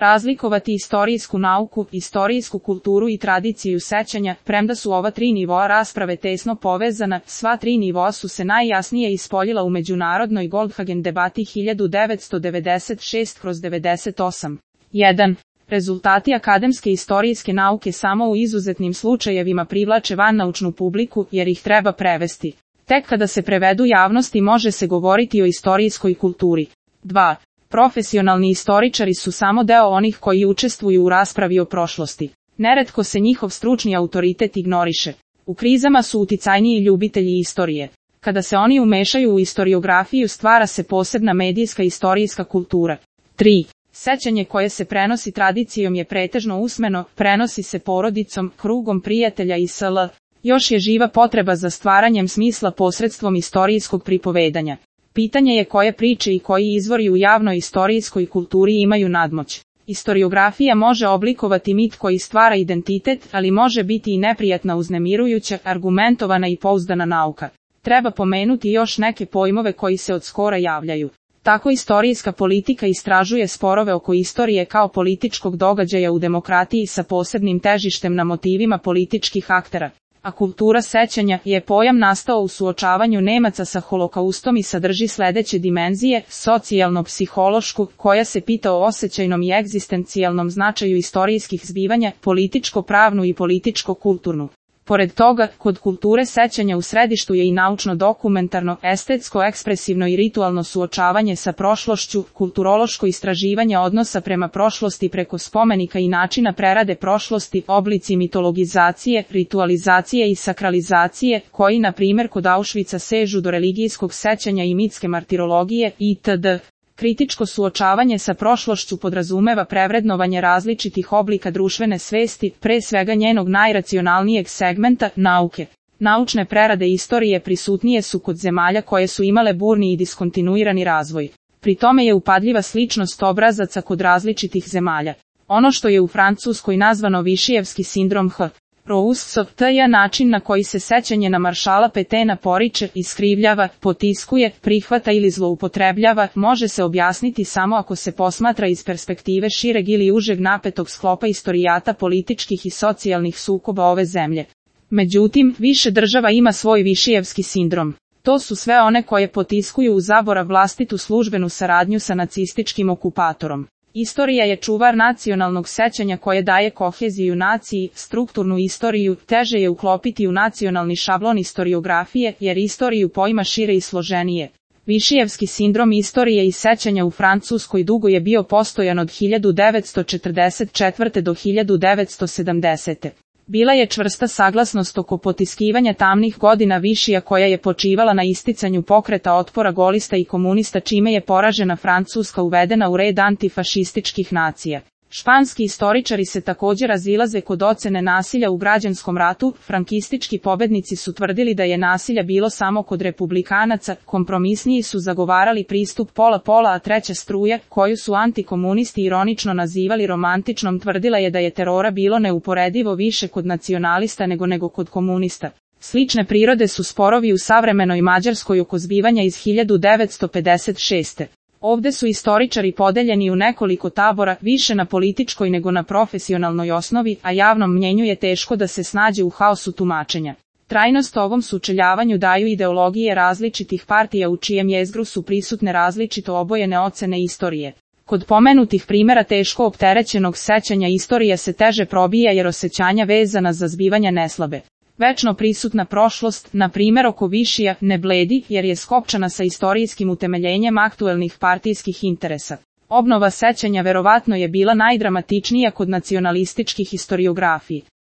Razlikovati istorijsku nauku, istorijsku kulturu i tradiciju sećanja, premda su ova tri nivoa rasprave tesno povezana, sva tri nivoa su se najjasnije ispoljila u međunarodnoj Goldhagen debati 1996/98. 1. Rezultati akademske istorijske nauke samo u izuzetnim slučajevima privlače vannaučnu publiku, jer ih treba prevesti. Tek kada se prevedu javnosti može se govoriti o istorijskoj kulturi. 2. Profesionalni istoričari su samo deo onih koji učestvuju u raspravi o prošlosti. Neretko se njihov stručni autoritet ignoriše. U krizama su uticajniji ljubitelji istorije. Kada se oni umešaju u istoriografiju stvara se posebna medijska istorijska kultura. 3. Sećanje koje se prenosi tradicijom je pretežno usmeno, prenosi se porodicom, krugom prijatelja i sl. Još je živa potreba za stvaranjem smisla posredstvom istorijskog pripovedanja. Pitanje je koje priče i koji izvori u javnoj istorijskoj kulturi imaju nadmoć. Istoriografija može oblikovati mit koji stvara identitet, ali može biti i neprijatna, uznemirujuća, argumentovana i pouzdana nauka. Treba pomenuti još neke pojmove koji se od skora javljaju. Tako istorijska politika istražuje sporove oko istorije kao političkog događaja u demokratiji sa posebnim težištem na motivima političkih aktera. A kultura sećanja je pojam nastao u suočavanju Nemaca sa holokaustom i sadrži sledeće dimenzije: socijalno-psihološku, koja se pita o osjećajnom i egzistencijalnom značaju istorijskih zbivanja, političko-pravnu i političko-kulturnu. Pored toga, kod kulture sećanja u središtu je i naučno-dokumentarno, estetsko-ekspresivno i ritualno suočavanje sa prošlošću, kulturološko istraživanje odnosa prema prošlosti preko spomenika i načina prerade prošlosti, oblici mitologizacije, ritualizacije i sakralizacije, koji na primjer kod Auschwitza sežu do religijskog sećanja i mitske martirologije, itd. Kritičko suočavanje sa prošlošću podrazumeva prevrednovanje različitih oblika društvene svesti, pre svega njenog najracionalnijeg segmenta, nauke. Naučne prerade istorije prisutnije su kod zemalja koje su imale burni i diskontinuirani razvoj. Pri tome je upadljiva sličnost obrazaca kod različitih zemalja. Ono što je u Francuskoj nazvano Višijevski sindrom H. Rousseau je način na koji se sećanje na maršala Petena poriče, iskrivljava, potiskuje, prihvata ili zloupotrebljava, može se objasniti samo ako se posmatra iz perspektive šireg ili užeg napetog sklopa istorijata političkih i socijalnih sukoba ove zemlje. Međutim, više država ima svoj Višijevski sindrom. To su sve one koje potiskuju u zaborav vlastitu službenu saradnju sa nacističkim okupatorom. Istorija je čuvar nacionalnog sećanja koje daje koheziju naciji, strukturnu istoriju, teže je uklopiti u nacionalni šablon istoriografije, jer istoriju pojma šire i složenije. Višijevski sindrom istorije i sećanja u Francuskoj dugo je bio postojan od 1944. do 1970. Bila je čvrsta saglasnost oko potiskivanja tamnih godina Višija koja je počivala na isticanju pokreta otpora golista i komunista, čime je poražena Francuska uvedena u red antifašističkih nacija. Španski istoričari se također razilaze kod ocene nasilja u građanskom ratu. Frankistički pobednici su tvrdili da je nasilja bilo samo kod republikanaca, kompromisniji su zagovarali pristup pola-pola, a treća struja, koju su antikomunisti ironično nazivali romantičnom, tvrdila je da je terora bilo neuporedivo više kod nacionalista nego kod komunista. Slične prirode su sporovi u savremenoj Mađarskoj oko zbivanja iz 1956. Ovde su istoričari podeljeni u nekoliko tabora, više na političkoj nego na profesionalnoj osnovi, a javnom mnjenju je teško da se snađe u haosu tumačenja. Trajnost ovom sučeljavanju daju ideologije različitih partija u čijem jezgru su prisutne različito obojene ocene istorije. Kod pomenutih primjera teško opterećenog sećanja istorija se teže probija jer osjećanja vezana za zbivanja ne slabe. Večno prisutna prošlost, na primjer oko Višija, ne bledi jer je skopčana sa istorijskim utemeljenjem aktuelnih partijskih interesa. Obnova sećanja verovatno je bila najdramatičnija kod nacionalističkih historiografiji.